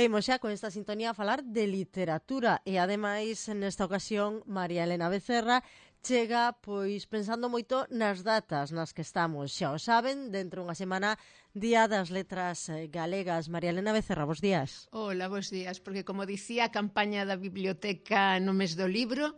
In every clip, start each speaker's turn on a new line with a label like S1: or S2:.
S1: E imos xa con esta sintonía a falar de literatura e ademais nesta ocasión María Elena Becerra chega pois pensando moito nas datas nas que estamos. Xa o saben, dentro unha semana Día das Letras Galegas. María Elena Becerra, bos días.
S2: Hola, bos días, porque como dicía a campaña da biblioteca no mes do libro,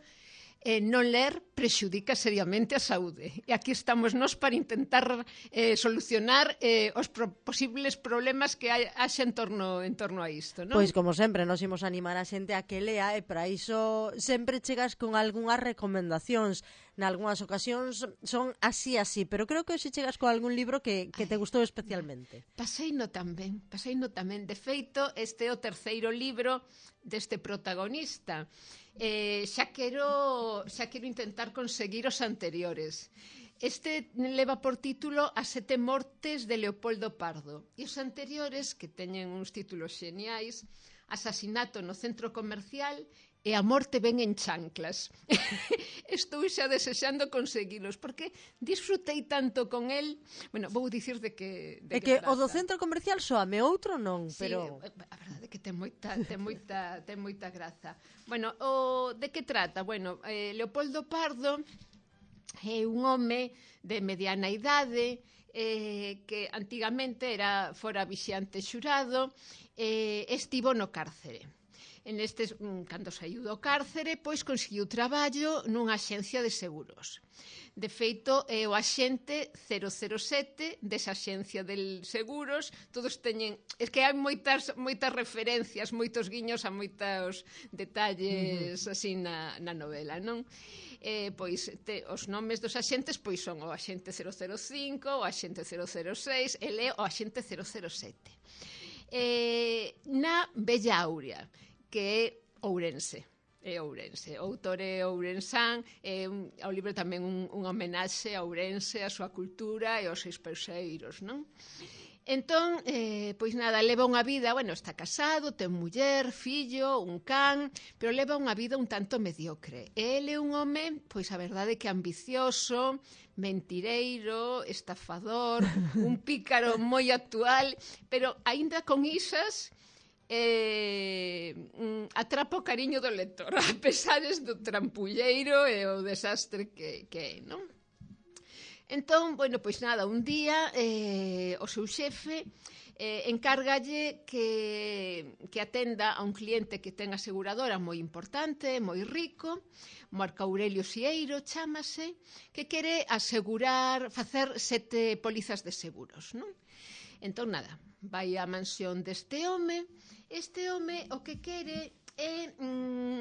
S2: non ler prexudica seriamente a saúde. E aquí estamos nós para intentar solucionar os posibles problemas que haxa en torno a isto, non?
S1: Pois, como sempre, nos imos animar a xente a que lea e para iso sempre chegas con algunhas recomendacións. Nalgúnas ocasións son así, pero creo que hoxe chegas con algún libro que te gustou especialmente.
S2: Paseino tamén. De feito, este é o terceiro libro deste protagonista. Xa quero intentar conseguir os anteriores. Este leva por título As sete mortes de Leopoldo Pardo e os anteriores, que teñen uns títulos xeniais, Asasinato no centro comercial e A morte ven en chanclas. Estou xa desexando conseguilos, porque disfrutei tanto con el. Bueno, vou dicir de que
S1: trata. O do centro comercial soame, outro non, pero...
S2: Sí, a verdade é que ten moita graza. Bueno, de que trata? Bueno, Leopoldo Pardo é un home de mediana idade, que antigamente fora vixiante xurado, estivo no cárcere. Cando saiu do cárcere, pois conseguiu traballo nunha axencia de seguros. De feito, é o axente 007 desa axencia de seguros. Todos teñen... É que hai moitas referencias, moitos guiños a moitos detalles así na novela, non? Pois os nomes dos axentes pois son o axente 005, o axente 006, ele é o axente 007. Na Bella Áurea, que é Ourense. O autor é ourensán, o libro tamén unha homenaxe a Ourense, a súa cultura e aos seus pauseiros, non? Entón, pois nada, leva unha vida, bueno, está casado, ten muller, fillo, un can, pero leva unha vida un tanto mediocre. Ele é un home, pois a verdade que ambicioso, mentireiro, estafador, un pícaro moi actual, pero aínda con isas... atrapa o cariño do lector, a pesares do trampulleiro e o desastre que é, non? Entón, bueno, pois nada, un día o seu xefe encárgalle que atenda a un cliente que ten aseguradora moi importante, moi rico, Marco Aurelio Sieiro chámase, que quere facer 7 pólizas de seguros, non? Entón, nada, vai á mansión deste home. Este home o que quere é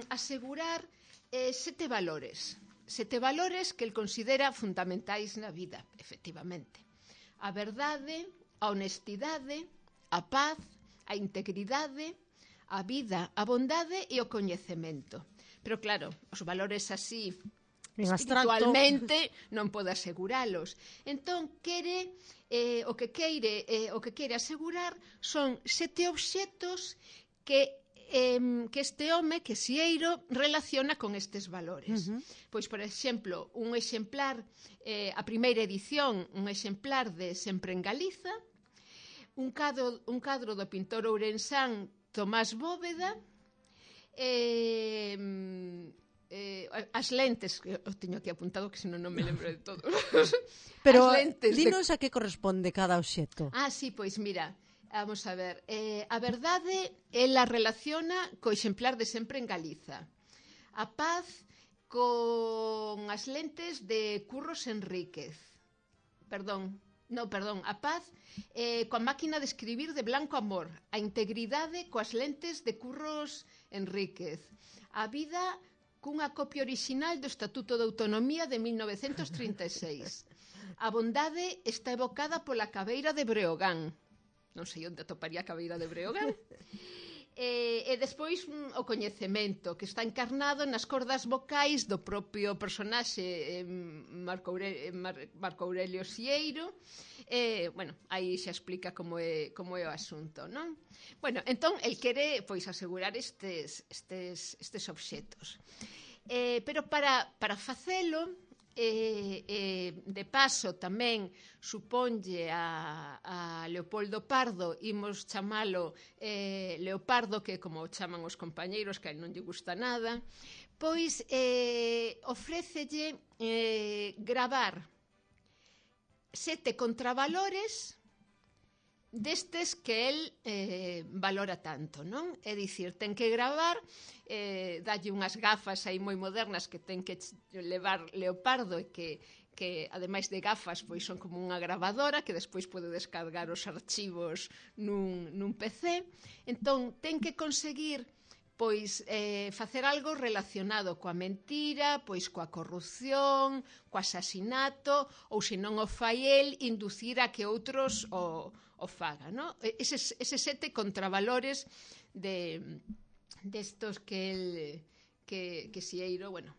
S2: asegurar 7 valores. 7 valores que el considera fundamentais na vida, efectivamente. A verdade, a honestidade, a paz, a integridade, a vida, a bondade e o coñecemento. Pero claro, os valores así... espiritualmente non pode aseguralos. Entón, o que quere asegurar son 7 obxetos que este home, que Sieiro, relaciona con estes valores. Pois, por exemplo, un exemplar, a primeira edición, un exemplar de Sempre en Galiza, un cadro do pintor ourensán Tomás Bóveda, as lentes, que o teño aquí apuntado que senón non me lembro de todo.
S1: Pero dinos a que corresponde cada obxecto.
S2: Sí, pois mira, vamos a ver, a verdade ela relaciona co exemplar de Sempre en Galiza, a paz con as lentes de Curros Enríquez, a paz coa máquina de escribir de Blanco Amor, a integridade coas lentes de Curros Enríquez, a vida cunha copia orixinal do Estatuto de Autonomía de 1936. A bondade está evocada pola caveira de Breogán. Non sei onde atoparía a caveira de Breogán. E despois o coñecemento, que está encarnado nas cordas vocais do propio personaxe Marco Aurelio Sieiro. Bueno, aí xa explica como é o asunto, non? Bueno, entón, el quere pois asegurar estes obxetos. Pero para facelo, de paso tamén suponlle a Leopoldo Pardo, imos chamalo Leopardo, que como chaman os compañeiros, que a él non lle gusta nada, pois ofrécelle gravar 7 contravalores destes que el valora tanto, non? É dicir, ten que gravar, dalle unhas gafas aí moi modernas que ten que levar Leopardo e que ademais de gafas, pois son como unha gravadora que despois pode descargar os archivos nun PC. Entón, ten que conseguir pois facer algo relacionado coa mentira, pois coa corrupción, co asasinato, ou se non o fai el, inducir a que outros o faga, ¿no? Eses 7 contravalores destos que Sieiro, bueno,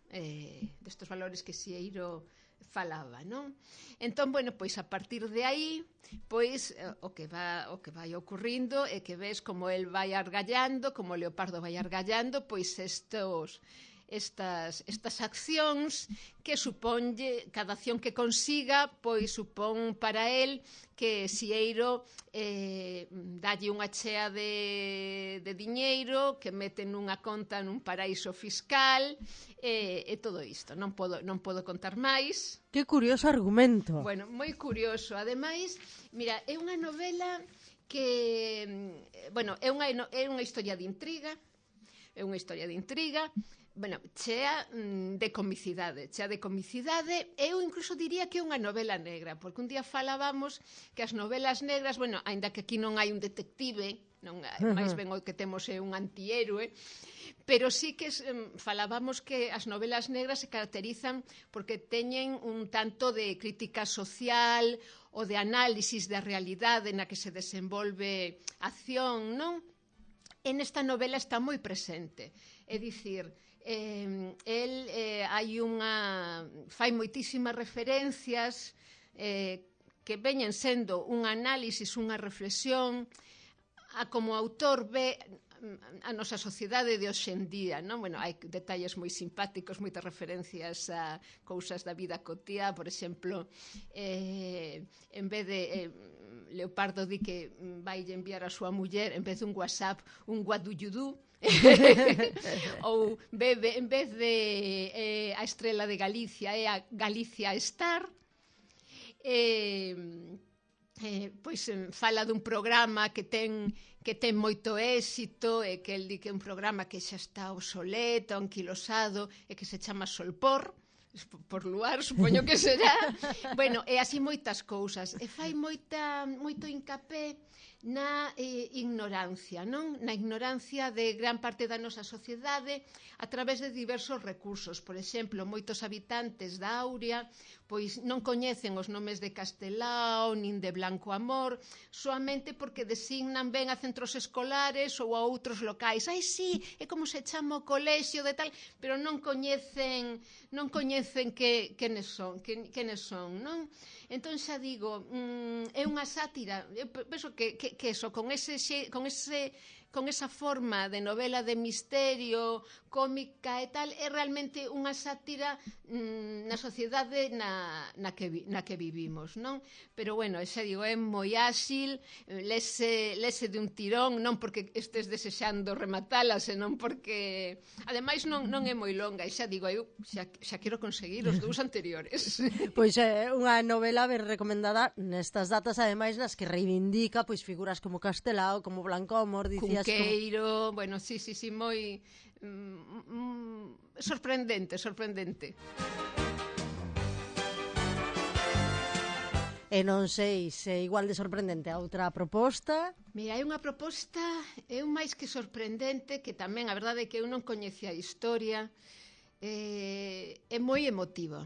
S2: destos valores que Sieiro falaba, non? Entón, bueno, pois a partir de aí, pois o que vai ocurrindo é que ves como el vai argallando, como Leopardo vai argallando, pois estas accións que suponlle, cada acción que consiga, pois supón para el que Sieiro dalle unha chea de diñeiro que mete nunha conta nun paraíso fiscal e todo isto. Non podo contar máis.
S1: Que curioso argumento.
S2: Bueno, moi curioso. Ademais, mira, é unha novela que, bueno, é unha historia de intriga, bueno, chea de comicidade, eu incluso diría que é unha novela negra, porque un día falábamos que as novelas negras, bueno, aínda que aquí non hai un detective, non, máis ben o que temos é un antihéroe, pero sí que falábamos que as novelas negras se caracterizan porque teñen un tanto de crítica social ou de análisis da realidade na que se desenvolve acción, non? En esta novela está moi presente, é dicir, fai moitísimas referencias que veñen sendo un análisis, unha reflexión a como autor ve a nosa sociedade de hoxendía, non? Bueno, hai detalles moi simpáticos, moitas referencias a cousas da vida cotiá, por exemplo, en vez de Leopardo di que vai enviar a súa muller, en vez de un WhatsApp, un what do you do? Ou en vez de a estrela de Galicia é a Galicia Star. Pois fala dun programa que ten moito éxito e que el di que é un programa que xa está obsoleto, anquilosado e que se chama Solpor, por luar, supoño que será. Bueno, e así moitas cousas. E fai moito incapé na ignorancia, non? Na ignorancia de gran parte da nosa sociedade a través de diversos recursos. Por exemplo, moitos habitantes da Auria pois non coñecen os nomes de Castelao nin de Blanco Amor soamente porque designan ben a centros escolares ou a outros locais. Ai, sí, é como se chama o colexio de tal, pero non coñecen quenes son, non? Entón xa digo, é unha sátira, eu penso que eso, con esa forma de novela de misterio, cómica e tal, é realmente unha sátira na sociedade na que vivimos, non? Pero bueno, xa digo, é moi áxil, lese de un tirón, non porque estes desexando rematala, senón porque ademais non é moi longa, e xa digo, eu xa quero conseguir os 2 anteriores.
S1: Pois é unha novela ben recomendada nestas datas, ademais nas que reivindica pois figuras como Castelao, como Blanco Amor, dicías
S2: Cunqueiro, bueno, sí, moi sorprendente.
S1: E non sei se igual de sorprendente a outra proposta.
S2: Mira, é unha proposta, é un máis que sorprendente, que tamén, a verdade é que eu non coñecía a historia, é moi emotivo.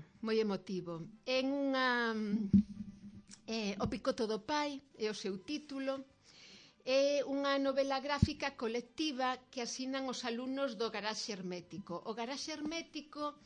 S2: En unha O picoto do pai é o seu título. É unha novela gráfica colectiva que asinan os alumnos do Garaxe Hermético. O Garaxe Hermético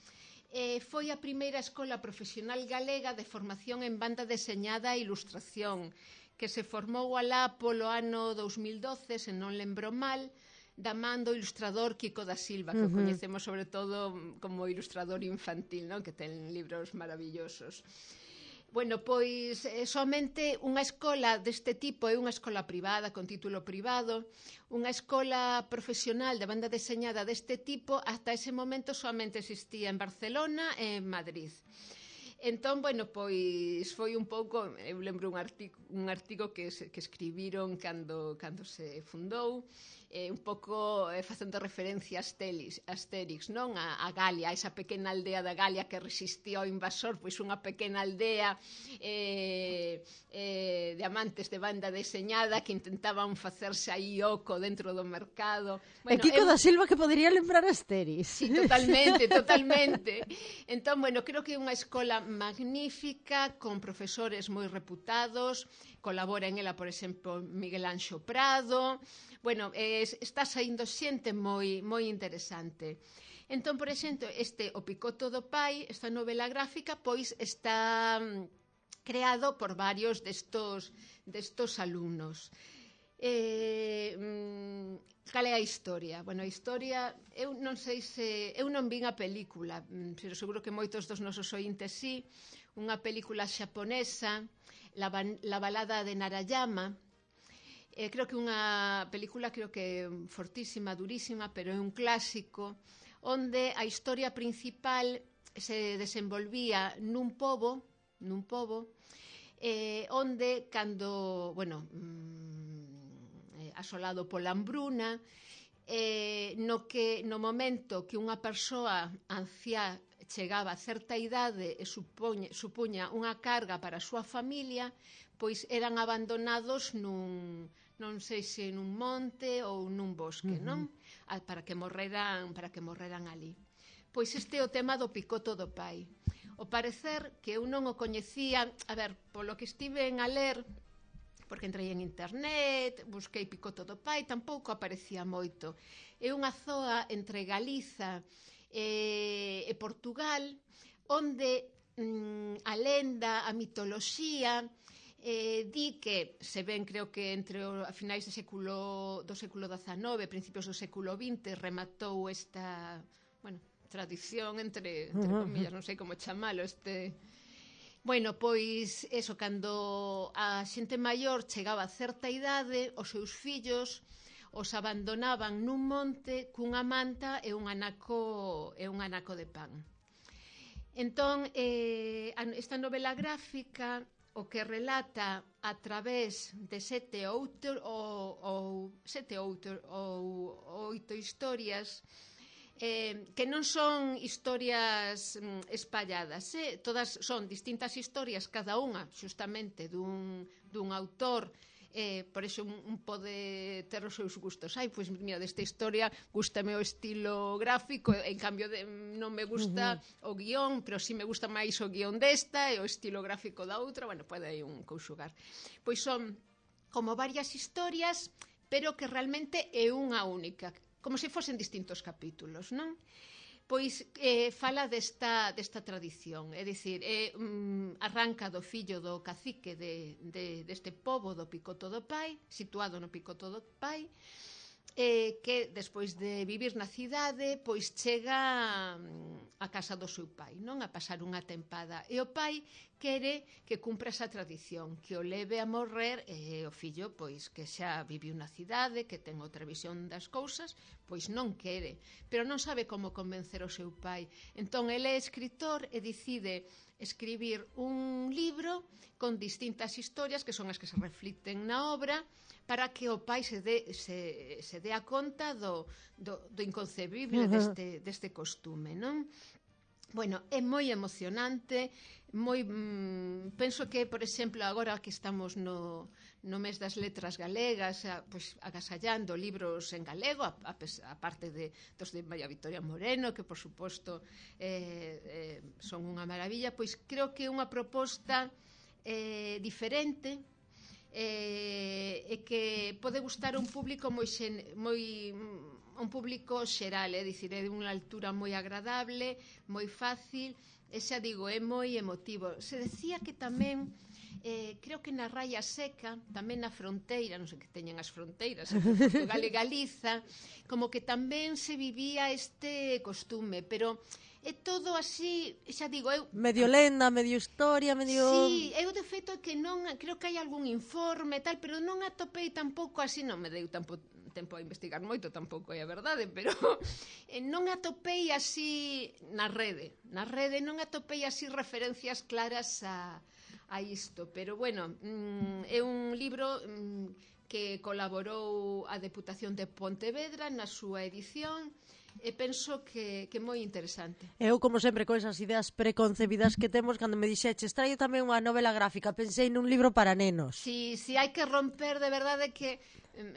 S2: foi a primeira escola profesional galega de formación en banda deseñada e ilustración, que se formou alá polo ano 2012, se non lembro mal, da man do ilustrador Kiko da Silva, que o coñecemos sobre todo como ilustrador infantil, non? Que ten libros maravillosos. Bueno, pois somente unha escola deste tipo é unha escola privada, con título privado, unha escola profesional de banda deseñada deste tipo, ata ese momento somente existía en Barcelona e en Madrid. Entón, bueno, pois foi un pouco, eu lembro un artigo que escribiron cando se fundou, un pouco facendo referencia a Astérix, non? A Galia, esa pequena aldea da Galia que resistía ao invasor, pois unha pequena aldea de amantes de banda deseñada que intentaban facerse aí oco dentro do mercado.
S1: Bueno, e Kiko da Silva que podería lembrar a Astérix.
S2: Sí, totalmente, totalmente. Entón, bueno, creo que é unha escola magnífica, con profesores moi reputados, colabora en ela, por exemplo, Miguel Anxo Prado. Bueno, está saindo xente moi interesante. Entón, por exemplo, O Picoto do Pai, esta novela gráfica, pois está creado por varios destos alumnos. Cal é a historia? Bueno, a historia, eu non sei se... Eu non vin a película, pero seguro que moitos dos nosos ointes sí. Unha película xaponesa, La balada de Narayama. Creo que unha película fortísima, durísima, pero é un clásico, onde a historia principal se desenvolvía nun pobo, onde cando, asolado pola hambruna, no momento que unha persoa anciá chegaba a certa idade e supuña unha carga para a súa familia, pois eran abandonados non sei se nun monte ou nun bosque, non? Para que morreran ali. Pois este é o tema do Picoto do Pai. O parecer que eu non o coñecía, a ver, polo que estiven a ler, porque entrei en internet, busquei Picoto do Pai, tampouco aparecía moito. É unha zoa entre Galiza e Portugal, onde a lenda, a mitoloxía, di que, se ven, creo que entre a finais do século XIX, principios do século XX, rematou esta, tradición entre comillas, non sei como chamalo, Bueno, pois, eso, cando a xente maior chegaba a certa idade, os seus fillos os abandonaban nun monte cunha manta e un anaco de pan. Entón, esta novela gráfica o que relata a través de 7 ou 8 historias, que non son historias espalladas, todas son distintas historias, cada unha xustamente dun autor, por iso un pode ter os seus gustos. Pois mira, desta historia gústame o estilo gráfico, en cambio non me gusta o guión, pero si me gusta máis o guión desta e o estilo gráfico da outra, pode aí un conxugar. Pois son como varias historias, pero que realmente é unha única, como se fosen distintos capítulos, non? Pois fala desta tradición, é dicir, arranca do fillo do cacique deste pobo do Picoto do Pai, situado no Picoto do Pai, que despois de vivir na cidade, pois chega a casa do seu pai, non? A pasar unha tempada. E o pai quere que cumpra esa tradición, que o leve a morrer, e o fillo, pois, que xa viviu na cidade, que ten outra visión das cousas, pois non quere, pero non sabe como convencer o seu pai. Entón, ele é escritor e decide escribir un libro con distintas historias que son as que se reflicten na obra, para que o pai se dea conta do inconcebible deste costume, non? Bueno, é moi emocionante, penso que, por exemplo, agora que estamos no mes das letras galegas, pois agasallando libros en galego, a parte dos de María Victoria Moreno, que por suposto son unha maravilla, pois creo que é unha proposta diferente, e que pode gustar a un público un público xeral, é dicir, é de unha altura moi agradable, moi fácil, e xa digo, é moi emotivo. Se decía que tamén creo que na Raia Seca, tamén na fronteira, non sei que teñen as fronteiras, entre Portugal e Galiza, como que tamén se vivía este costume, pero é todo así, xa digo, eu...
S1: Medio lenda, medio historia, medio...
S2: Sí, eu de feito é que non, creo que hai algún informe e tal, pero non atopei tampouco así, non me deu tempo a investigar moito, tampouco é a verdade, pero non atopei así na rede non atopei así referencias claras a isto, pero bueno, é un libro que colaborou a Deputación de Pontevedra na súa edición, e penso que é moi interesante.
S1: Eu, como sempre, con esas ideas preconcebidas que temos, cando me dixeches, traio tamén unha novela gráfica, pensei nun libro para nenos.
S2: Si hai que romper, de verdade que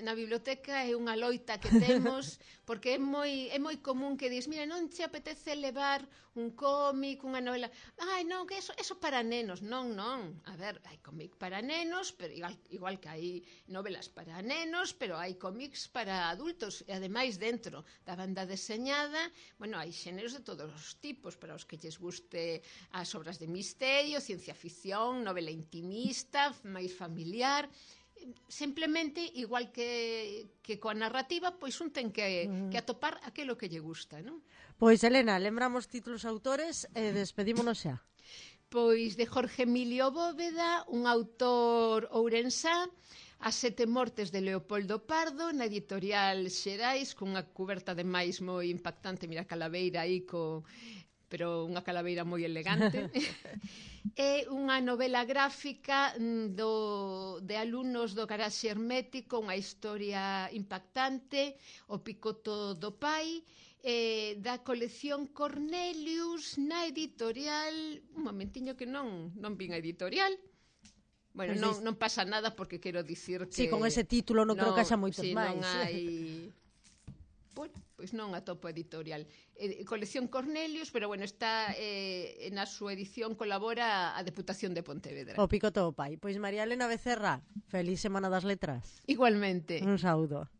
S2: na biblioteca é unha loita que temos, porque é moi común que dis, mira, non te apetece levar un cómic, unha novela, ai, non, que eso para nenos, non, a ver, hai cómic para nenos, pero igual que hai novelas para nenos, pero hai cómics para adultos, e ademais dentro da banda deseñada, bueno, hai xéneros de todos os tipos, para os que lles guste as obras de misterio, ciencia ficción, novela intimista, máis familiar, simplemente, igual que coa narrativa, pois un ten que atopar aquilo que lle gusta, non?
S1: Pois, Elena, lembramos títulos autores e despedímonos xa.
S2: Pois de Jorge Emilio Bóveda, un autor ourensá, As sete mortes de Leopoldo Pardo, na editorial Xerais, cunha cuberta de máis moi impactante, mira a calaveira aí pero unha calaveira moi elegante. É unha novela gráfica de alumnos do Garaxe Hermético, unha historia impactante, O picoto do pai, da colección Cornelius, na editorial... Un momentiño que non vin a editorial. Bueno, non pasa nada, porque quero dicir que...
S1: Sí, con ese título non creo que haxa moitos máis.
S2: Non hai... Pois non atopo editorial. Colección Cornelius, pero bueno, está na súa edición colabora a Deputación de Pontevedra.
S1: O picoto do pai. Pois María Elena Becerra, feliz Semana das Letras.
S2: Igualmente.
S1: Un saúdo.